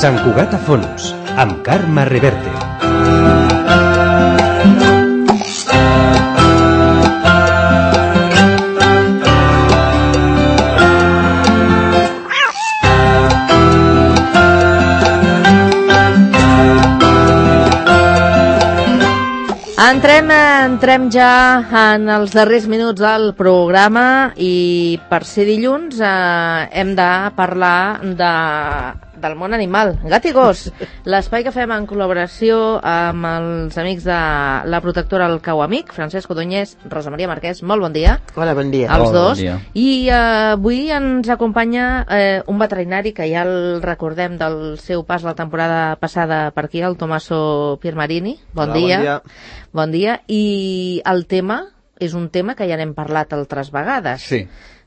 Sant Cugat a fons, amb Carme Reverte. Entrem ja en els darrers minuts del programa i per ser dilluns hem de parlar del món animal, gat i gos, l'espai que fem en col·laboració amb els amics de la protectora El Cau Amic, Francesc Odoñés, Rosa Maria Marquès, molt bon dia. Hola, bon dia. Els dos. Bon dia. I avui ens acompanya un veterinari que ja el recordem del seu pas la temporada passada per aquí, el Tommaso Piermarini. Bon dia. Bon dia. I el tema és un tema que ja n'hem parlat altres vegades. Sí.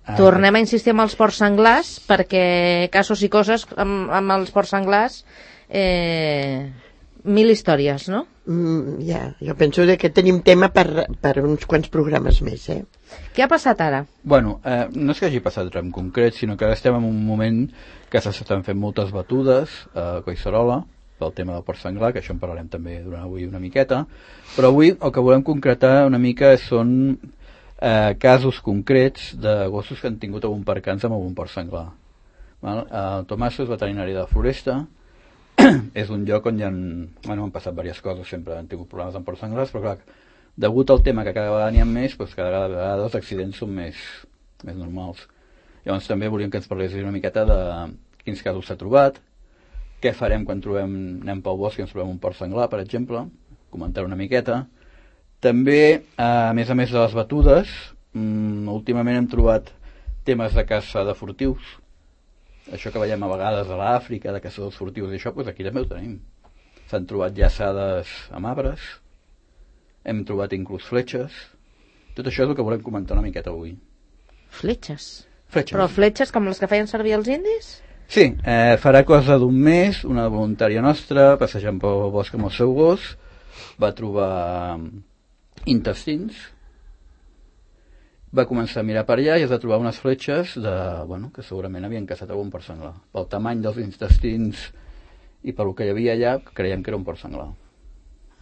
Tornem a insistir amb els porcs senglars perquè casos i coses amb els porcs senglars mil històries, no? Jo penso que tenim tema per uns quants programes més, Què ha passat ara? Bueno, no és que hagi passat res en concret, sinó que ara estem en un moment que s'estan fent moltes batudes a Collserola pel tema del porc senglar, que això en parlarem també durant avui una miqueta, però avui el que volem concretar una mica són casos concrets de gossos que han tingut algun percanç amb algun porc senglar. El Tommaso és veterinari de la Floresta, és un lloc on han passat diverses coses, sempre han tingut problemes amb porcs senglars, però clar, degut al tema que cada vegada n'hi ha més, doncs cada vegada els accidents són més normals. Llavors també volíem que ens parlés una miqueta de quins casos s'ha trobat, què farem quan anem pel bosc i ens trobem un porc senglar, per exemple, comentar una miqueta. També, a més de les batudes, últimament hem trobat temes de caça de furtius. Això que veiem a vegades a l'Àfrica, de caçadors furtius i això, doncs aquí també ho tenim. S'han trobat llaçades amb arbres, hem trobat inclús fletxes. Tot això és el que volem comentar una miqueta avui. Fletxes? Fletxes. Però fletxes com les que feien servir els indis? Sí, farà cosa d'un mes, una voluntària nostra, passejant pel bosc amb el seu gos, va trobar intestins, va començar a mirar per allà i es va trobar unes fletxes que segurament havien caçat algun porc senglar. Pel tamany dels intestins i pel que hi havia allà, creiem que era un porc senglar.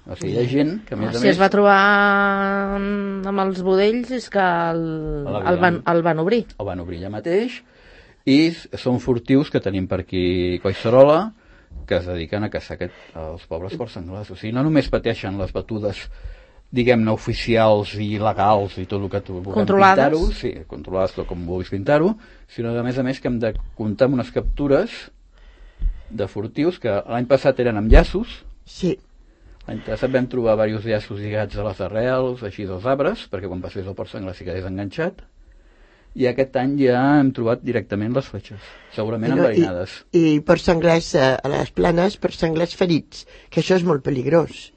O sigui, hi ha gent que a més a més... Si es va trobar amb els budells és que el van obrir. El van obrir allà mateix i són furtius que tenim per aquí Collserola que es dediquen a caçar els pobres porcs senglars. O sigui, no només pateixen les batudes, diguem-ne, oficials i legals i tot el que tu vulguem pintar-ho, sí, controlades tot com vulguis pintar-ho, sinó a més que hem de comptar amb unes captures de furtius que l'any passat eren amb llaços. Sí. L'any passat vam trobar diversos llaços lligats a les arrels, així dels arbres, perquè quan passés el porc senglar s'hi quedés enganxat. I aquest any ja hem trobat directament les fletxes, segurament enverinades. I porcs senglars a les planes, porcs senglars ferits, que això és molt peligrós.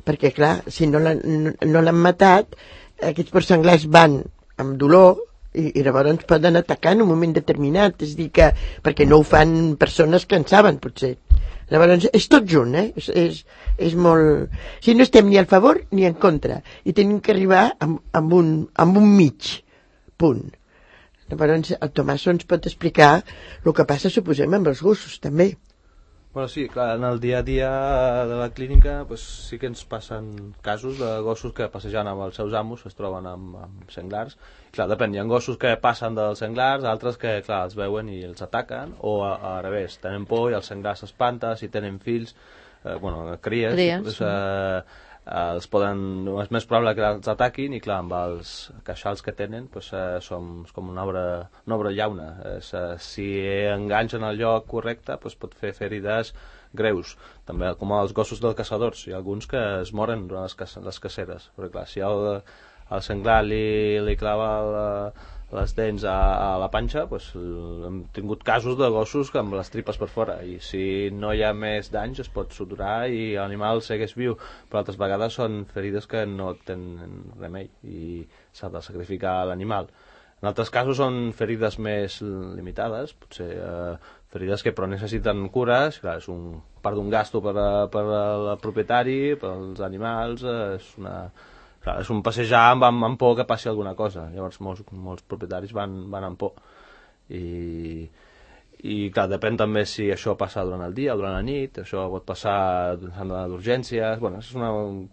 Perquè, clar, si no l'han matat, aquests porcs senglars van amb dolor i llavors poden atacar en un moment determinat. És a dir, que perquè no ho fan persones que en saben, potser. Llavors, és tot junt, és molt... Si no estem ni a favor ni en contra. I tenim que arribar amb un mig punt. Llavors, el Tomàs ens pot explicar el que passa, suposem, amb els gossos, també. Bueno, sí, clar, en el dia a dia de la clínica pues, sí que ens passen casos de gossos que passejant amb els seus amos es troben amb senglars. Clar, depèn, hi ha gossos que passen dels senglars, altres que, clar, els veuen i els ataquen, o al revés, tenen por i el senglar s'espanta, si tenen fills, cries. És més probable que els ataquin i clar, amb els queixals que tenen som com una obra llauna. Si enganxen el lloc correcte pot fer ferides greus, també com els gossos dels caçadors. Hi ha alguns que es moren durant les caceres, perquè clar, si el senglar li clava les dents a la panxa, hem tingut casos de gossos amb les tripes per fora, i si no hi ha més danys es pot suturar i l'animal segueix viu, però altres vegades són ferides que no tenen remei i s'ha de sacrificar l'animal. En altres casos són ferides més limitades, potser ferides que però necessiten cures, clar, és part d'un gasto per al propietari, pels animals, és un passejar amb por que passi alguna cosa. Llavors molts propietaris van amb por i clar, depèn també si això passa durant el dia o durant la nit, això pot passar d'urgències, bueno, és una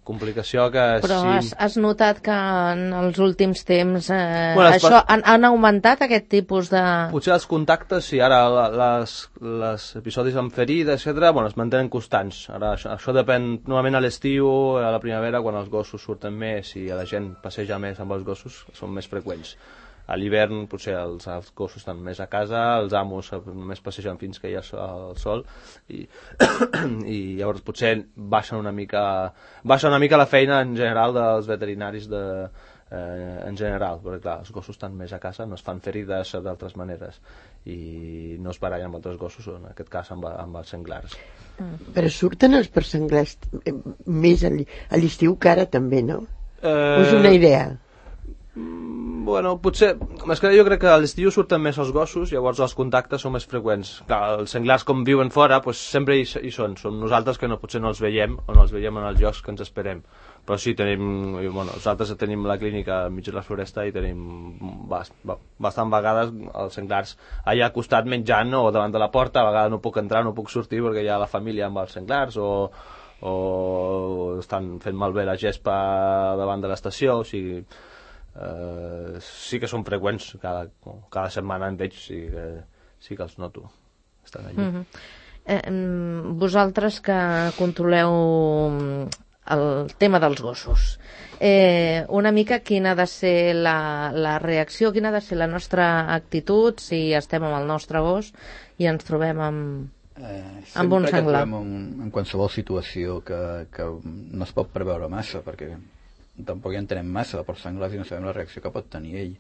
complicació que... Però sí... has notat que en els últims temps Bueno, han augmentat aquest tipus de... Potser els contactes, sí, ara les episodis amb ferida, etc., bueno, es mantenen constants. Ara això depèn, normalment a l'estiu, a la primavera, quan els gossos surten més i la gent passeja més amb els gossos, són més freqüents. A l'hivern potser els gossos estan més a casa, els amos només passegen fins que hi ha el sol i llavors potser baixa una mica la feina en general dels veterinaris en general, perquè clar, els gossos estan més a casa, no es fan ferides d'altres maneres i no es barallen amb altres gossos, en aquest cas amb els senglars. Però surten els percenglars més a l'estiu que ara també, no? És una idea. Bueno, potser... És que jo crec que a l'estiu surten més els gossos, llavors els contactes són més freqüents. Clar, els senglars com viuen fora, doncs sempre hi són. Som nosaltres que potser no els veiem, o no els veiem en els llocs que ens esperem. Però sí, nosaltres tenim la clínica al mig de la floresta i tenim bastant vegades els senglars allà al costat menjant o davant de la porta. A vegades no puc entrar, no puc sortir perquè hi ha la família amb els senglars o estan fent malbé la gespa davant de l'estació, o sigui... sí que són freqüents, cada setmana en veig, sí que els noto, estan allí. Vosaltres que controleu el tema dels gossos, una mica quina ha de ser la reacció, quina ha de ser la nostra actitud si estem amb el nostre gos i ens trobem amb un senglar? En qualsevol situació que no es pot preveure massa, perquè tampoc hi entenem massa de porcs senglars i no sabem la reacció que pot tenir ell.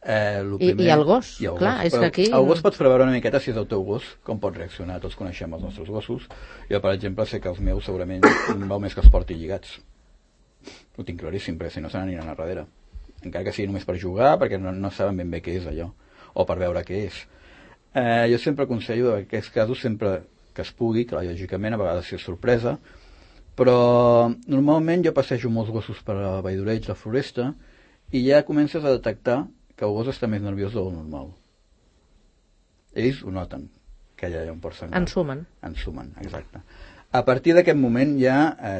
I el gos, clar, és que aquí... El gos pots preveure una miqueta si és el teu gos, com pot reaccionar. Tots coneixem els nostres gossos. Jo, per exemple, sé que els meus segurament val més que els porti lligats. Ho tinc claríssim, perquè si no se n'aniran a darrere. Encara que sigui només per jugar, perquè no saben ben bé què és allò, o per veure què és. Jo sempre aconsello en aquests casos, sempre que es pugui, clar, lògicament, a vegades si és sorpresa, però normalment jo passejo molts gossos per a Vall d'Oreix, la floresta, i ja comences a detectar que el gos està més nerviós del normal. Ells ho noten, que ja hi ha un porc senglar. Ensumen, exacte. A partir d'aquest moment ja,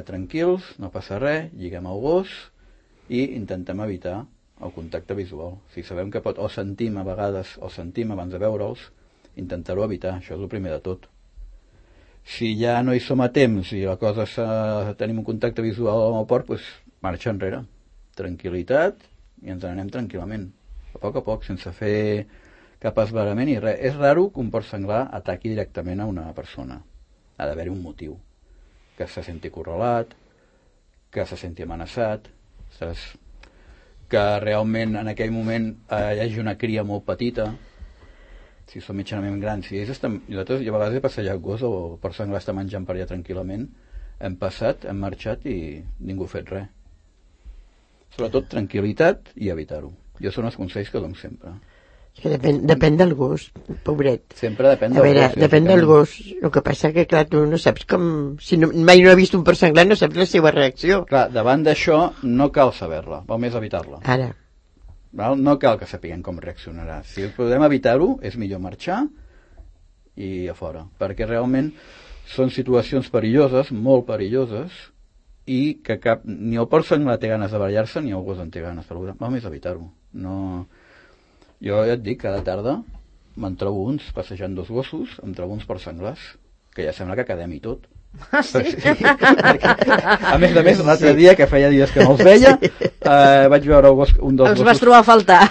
tranquils, no passa res, lliguem el gos i intentem evitar el contacte visual. Si sabem que o sentim a vegades, o sentim abans de veure'ls, intentar-ho evitar, això és el primer de tot. Si ja no hi som a temps i la cosa tenim un contacte visual amb el porc, doncs marxa enrere. Tranquil·litat i ens n'anem tranquil·lament. A poc, sense fer cap esbarament i res. És raro que un porc senglar ataqui directament a una persona. Ha d'haver-hi un motiu. Que se senti acorralat, que se senti amenaçat, que realment en aquell moment hi hagi una cria molt petita, si són mitjanament grans, si ells estan... Nosaltres, jo a vegades he passejat gos o el porc senglar està menjant per allà tranquil·lament, hem passat, hem marxat i ningú ha fet res. Sobretot tranquil·litat i evitar-ho. Jo són els consells que dono sempre. Que depèn del gos, pobret. Sempre depèn del gos. Depèn del gos. El que passa que, clar, tu no saps com... Si mai no has vist un porc senglar, no saps la seva reacció. Clar, davant d'això no cal saber-la, val més evitar-la. Ara. No cal que sapiguem com reaccionarà. Si podem evitar-ho, és millor marxar i a fora, perquè realment són situacions perilloses, molt perilloses, i que ni el porc senglar té ganes de barallar-se ni el gos en té ganes. Val més evitar-ho. Jo ja et dic, cada tarda me'n trobo uns passejant dos gossos, em trobo uns porcs senglars, que ja sembla que quedem i tot. Ah, sí? A més, l'altre dia, que feia dies que no els veia, vaig veure un dels gossos... Els vas trobar a faltar.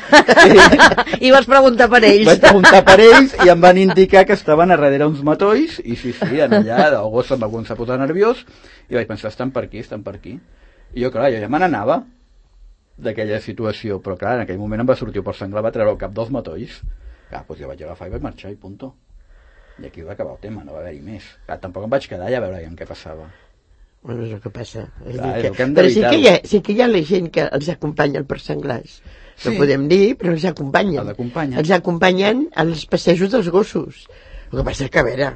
I vas preguntar per ells. Vaig preguntar per ells i em van indicar que estaven a darrere uns matolls i sí, en allà el gos em va començar a posar nerviós i vaig pensar, estan per aquí. I jo, clar, jo ja me n'anava d'aquella situació, però clar, en aquell moment em va sortir el porc senglar, va treure el cap dels matolls. Clar, doncs jo vaig agafar i vaig marxar i punto. I aquí va acabar el tema, no va haver-hi més. Clar, tampoc em vaig quedar allà a veure què passava. Bueno, és el que passa. Clar, és el que hem però d'evitar-ho. sí que hi ha la gent que els acompanya el porc senglars. No podem dir, però els acompanyen. Els acompanyen als passejos dels gossos. El que passa que, a veure,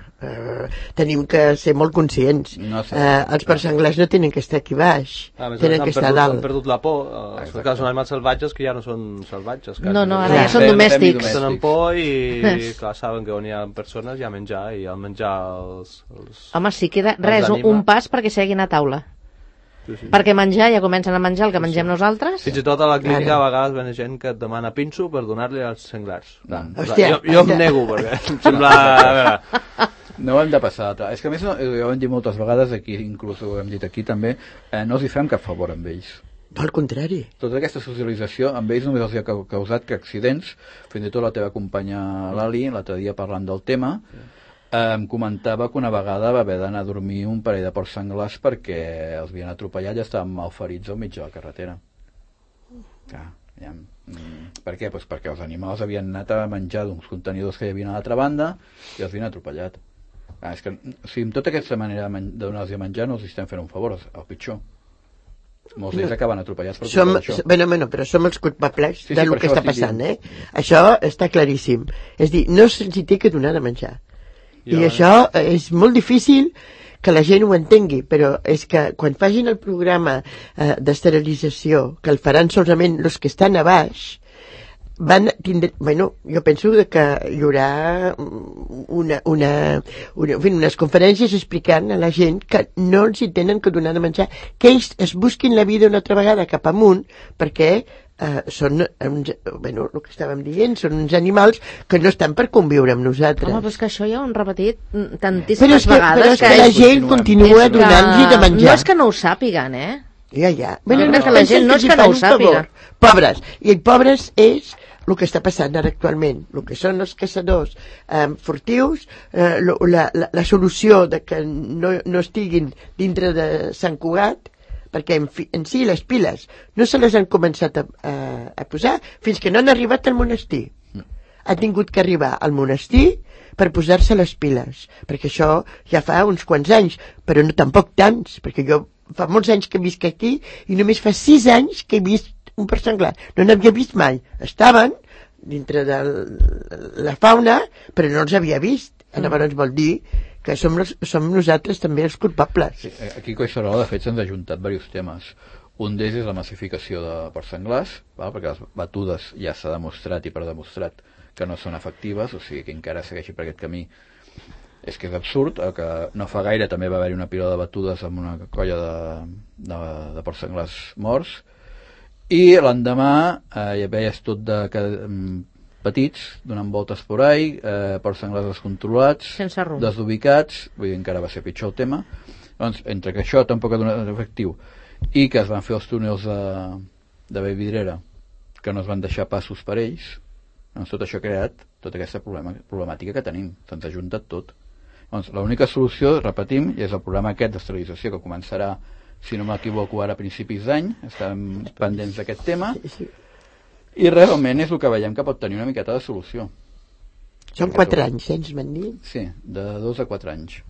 tenim que ser molt conscients. No sé. Els porcs senglars no tenen que estar aquí baix, tenen que estar a dalt. Han perdut la por. Són animals salvatges que ja no són salvatges. No, ara ja són domèstics. Tenen por i clar, saben que on hi ha persones hi ha menjar, i al menjar Home, si queda res, un pas perquè seguin a taula. Sí. Perquè menjar, ja comencen a menjar el que mengem nosaltres. Fins i tot a la clínica a vegades ven gent que et demana pinso per donar-li als senglars. Hòstia, jo em nego, perquè em sembla... No ho hem de passar. És que a més, ho hem dit moltes vegades, aquí inclús ho hem dit aquí també, no els hi fem cap favor amb ells. Al contrari. Tota aquesta socialització amb ells només els ha causat que accidents. Fins i tot la teva companya Lali, l'altre dia parlant del tema, em comentava que una vegada va haver d'anar a dormir un parell de porcs senglars perquè els havien atropellat i estaven malferits al mig de la carretera. Clar, ja. Per què? Pues perquè els animals havien anat a menjar d'uns contenidors que hi havia a l'altra banda i els havien atropellat. És que, si amb tota aquesta manera de donar-los a menjar no els estem fent un favor, el pitjor. Molts d'ells acaben atropellats per culpa d'això. Bueno, però som els culpables del que està passant, Això està claríssim. És dir, no se'ls té que donar de menjar. I això és molt difícil que la gent ho entengui, però és que quan facin el programa d'esterilització, que el faran solament els que estan a baix, van tindre... Bueno, jo penso que hi haurà unes conferències explicant a la gent que no els hi tenen que donar de menjar, que ells es busquin la vida una altra vegada cap amunt, perquè són el que estàvem dient, són uns animals que no estan per conviure amb nosaltres. Home, però és que això ja ho hem repetit tantíssimes vegades. Però és que la gent continua donant-los de menjar. No és que no ho sàpiguen, Ja. Bueno, no, que la gent no és que no ho sàpiga. Pobres. I pobres és el que està passant ara actualment. El que són els caçadors furtius, la solució de que no estiguin dintre de Sant Cugat, perquè en si les piles no se les han començat a posar fins que no han arribat al monestir. Ha tingut que arribar al monestir per posar-se les piles, perquè això ja fa uns quants anys, però no tampoc tants, perquè jo fa molts anys que visc aquí i només fa 6 anys que he vist un porc senglar. No n'havia vist mai. Estaven dintre de la fauna, però no els havia vist. Llavors vol dir que som nosaltres també els culpables. Sí, aquí a Collserola, de fet, s'han ajuntat diversos temes. Un d'ells és la massificació de porcs senglars, perquè les batudes ja s'ha demostrat i demostrat que no són efectives, o sigui que encara segueixi per aquest camí. És que és absurd, que no fa gaire també va haver-hi una pila de batudes amb una colla de porcs senglars morts, i l'endemà ja veies tot petits, donant voltes por ahí, porcs senglars descontrolats, desubicats, vull dir, encara va ser pitjor el tema. Doncs, entre que això tampoc ha donat efectiu i que es van fer els túnels de Vallvidrera, que no es van deixar passos per ells, doncs tot això ha creat tota aquesta problemàtica que tenim. Se'ns ha juntat tot. Doncs l'única solució, repetim, i és el programa aquest d'esterilització que començarà, si no m'equivoco, ara a principis d'any. Estem pendents d'aquest tema. I realment és el que veiem que pot tenir una miqueta de solució. Són 4 anys, ens van dir? Sí, de 2 a 4 anys.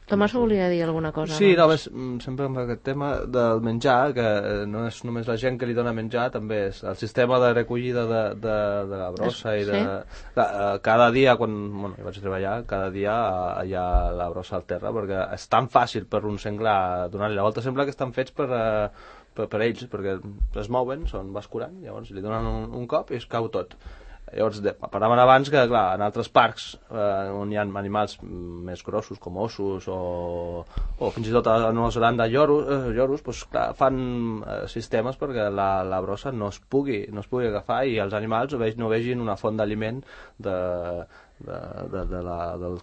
Tomàs volia dir alguna cosa. Sí, només, sempre amb aquest tema del menjar, que no és només la gent que li dona menjar, també és el sistema de recollida de la brossa i cada dia, quan jo vaig treballar, cada dia hi ha la brossa al terra, perquè és tan fàcil per un senglar donar-li la volta, sembla que estan fets per ells, perquè es mouen, són bascurant, llavors li donen un cop i es cau tot. Llavors, parlaven abans que, clar, en altres parcs on hi ha animals més grossos, com ossos o fins i tot a Nova Zelanda lloros, doncs, clar, fan sistemes perquè la brossa no es pugui agafar i els animals no vegin una font d'aliment dels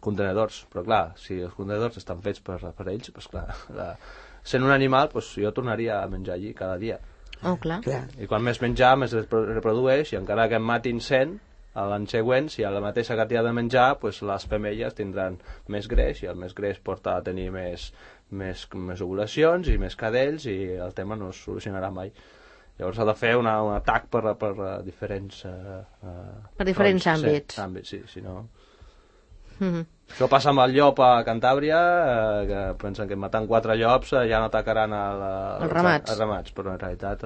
contenedors. Però, clar, si els contenedors estan fets per ells, doncs, clar, sent un animal, doncs, jo tornaria a menjar allí cada dia. Oh, clar. I quan més menjar, més es reprodueix, i encara que en matin 100, l'any següent, si hi ha la mateixa quantitat de menjar, doncs les femelles tindran més greix, i el més greix porta a tenir més ovulacions i més cadells, i el tema no es solucionarà mai. Llavors s'ha de fer un atac per diferents... per diferents àmbits. Sí, si no... Això passa amb el llop a Cantàbria, que pensen que matant 4 llops ja no atacaran els ramats, però en realitat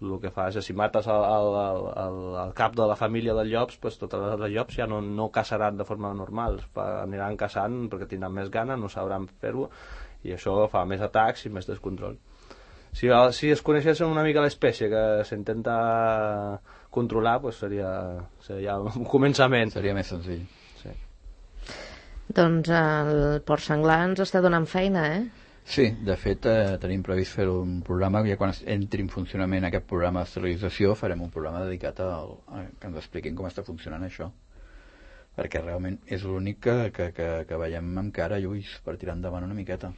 el que fa és que si mates el cap de la família de llops, pues totes les llops ja no caçaran de forma normal, aniran caçant perquè tindran més gana, no sabran fer-ho, i això fa més atacs i més descontrol. Si es coneixessin una mica l'espècie que s'intenta controlar, pues seria un començament. Seria més senzill. Sí. Doncs el porc senglar ens està donant feina, Sí, de fet tenim previst fer un programa, ja quan entri en funcionament aquest programa d'esterilització farem un programa dedicat a que ens expliquin com està funcionant això, perquè realment és l'únic que veiem amb cara i ulls per tirar endavant una miqueta,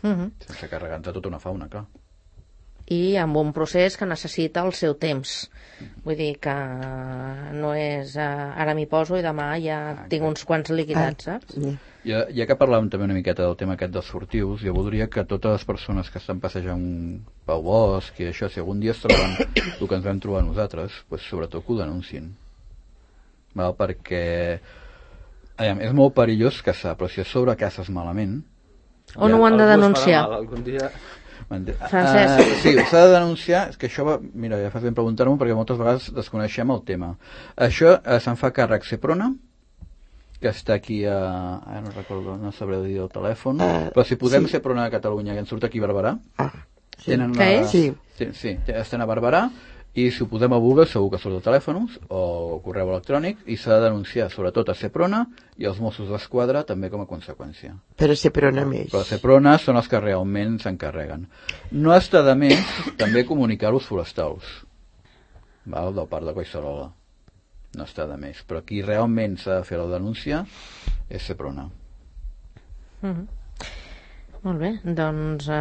sense carregar-nos de tota una fauna, clar. I amb un procés que necessita el seu temps. Vull dir que no és ara m'hi poso i demà ja tinc uns quants liquidats, saps? Ja que parlàvem també una miqueta del tema aquest dels furtius, jo voldria que totes les persones que estan passejant pel bosc i això, si algun dia es troben el que ens vam trobar nosaltres, pues, sobretot que ho denunciïn. Val? Perquè és molt perillós caçar, però si a sobre caces malament... On ho han de denunciar? Algun dia... Francesc. Sí, s'ha de denunciar, és que això mira, ja fas ben preguntar-m'ho perquè moltes vegades desconeixem el tema. Això se'n fa càrrec Seprona, que està aquí no recordo, no sabré dir el telèfon, però si posem Seprona a Catalunya, que ens surt aquí a Barberà, Què és? Sí, estan a Barberà, i si ho posem a Google segur que surt el telèfon o correu electrònic, i s'ha de denunciar sobretot a Seprona i els Mossos d'Esquadra també com a conseqüència. Però Seprona més. Però Seprona són els que realment s'encarreguen. No està de més també comunicar als forestals, val? Del parc de Collserola. No està de més. Però qui realment s'ha de fer la denúncia és Seprona. Molt bé, doncs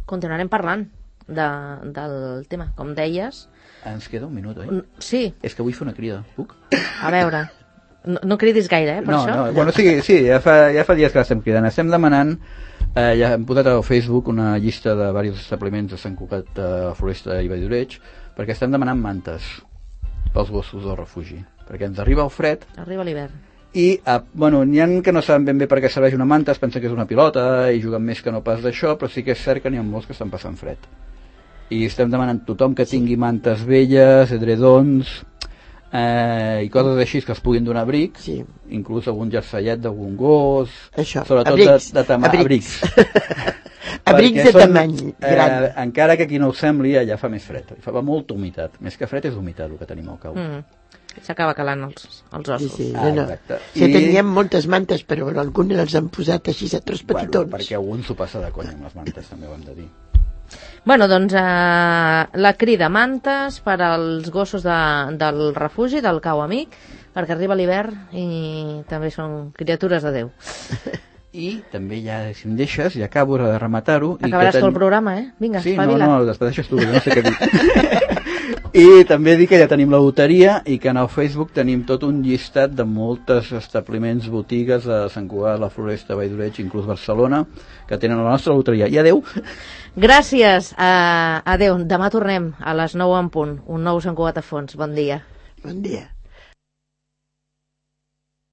continuarem parlant del tema, com deies. Ens queda un minut, oi? Sí, És que vull fer una crida. Puc? a veure, no cridis gaire, per això. No, bueno, sí, ja fa dies que l'estem cridant. Estem demanant, ja hem posat al Facebook una llista de diversos establiments de Sant Cugat, Floresta i Valldoreig, perquè estem demanant mantes pels gossos del refugi, perquè ens arriba el fred Arriba l'hivern. i, bueno, n'hi ha que no saben ben bé per què serveix una manta, es pensen que és una pilota i juguen més que no pas d'això, però sí que és cert que n'hi ha molts que estan passant fred. I estem demanant a tothom que tingui mantes velles, edredons i coses així que es puguin donar abric, inclús algun jersellet d'algun gos, això, sobretot abrics. Abrics de tamany gran. Encara que aquí no ho sembli, allà fa més fred, fa molta humitat, més que fred és humitat el que tenim al cau. S'acaba calant els ossos. Sí, exacte. Sí, teníem moltes mantes, però algunes els han posat així a tros petitons. Perquè algun s'ho passa de conya amb les mantes, també ho hem de dir. Bueno, doncs la crida mantes per als gossos del refugi, del Cau Amic, perquè arriba l'hivern i també són criatures de Déu. I també ja, si em deixes, ja acabo de rematar-ho. Acabaràs tot el programa, Vinga, sí, espavila. no, despedeixes tu, no sé què dir. I també dic que ja tenim la loteria i que en el Facebook tenim tot un llistat de moltes establiments, botigues a Sant Cugat, la Floresta, Valldoreig, inclús Barcelona, que tenen la nostra loteria. I adeu! Gràcies, adeu. Demà tornem a les 9 en punt. Un nou Sant Cugat a fons. Bon dia. Bon dia.